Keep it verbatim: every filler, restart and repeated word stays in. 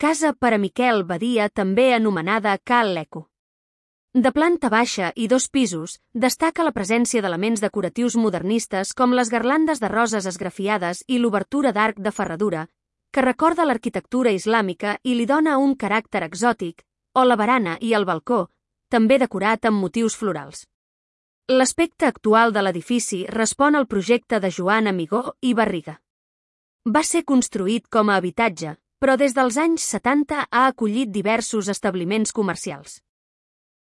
casa per a Miquel Badia, també anomenada Cal l'Eco. De planta baixa i dos pisos, destaca la presència d'elements decoratius modernistes com les garlandes de roses esgrafiades i l'obertura d'arc de ferradura, que recorda l'arquitectura islàmica i li dona un caràcter exòtic, o la barana i el balcó, també decorat amb motius florals. L'aspecte actual de l'edifici respon al projecte de Joan Amigó i Barriga. Va ser construït com a habitatge, però des dels anys setanta ha acollit diversos establiments comercials.